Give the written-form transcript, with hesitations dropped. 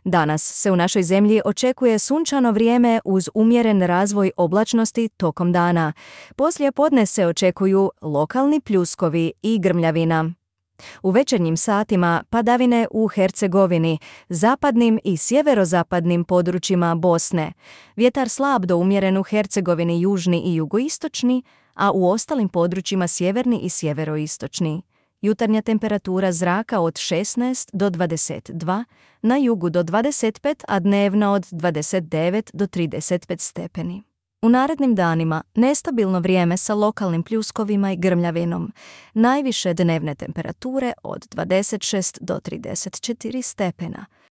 Danas se u našoj zemlji očekuje sunčano vrijeme uz umjeren razvoj oblačnosti tokom dana. Poslije podne se očekuju lokalni pljuskovi i grmljavina. U večernjim satima padavine u Hercegovini, zapadnim i sjeverozapadnim područjima Bosne. Vjetar slab do umjeren u Hercegovini, južni i jugoistočni, a u ostalim područjima sjeverni i sjeveroistočni. Jutarnja temperatura zraka od 16 do 22, na jugu do 25, a dnevna od 29 do 35 stepeni. U narednim danima nestabilno vrijeme sa lokalnim pljuskovima i grmljavinom. Najviše dnevne temperature od 26 do 34 stepena.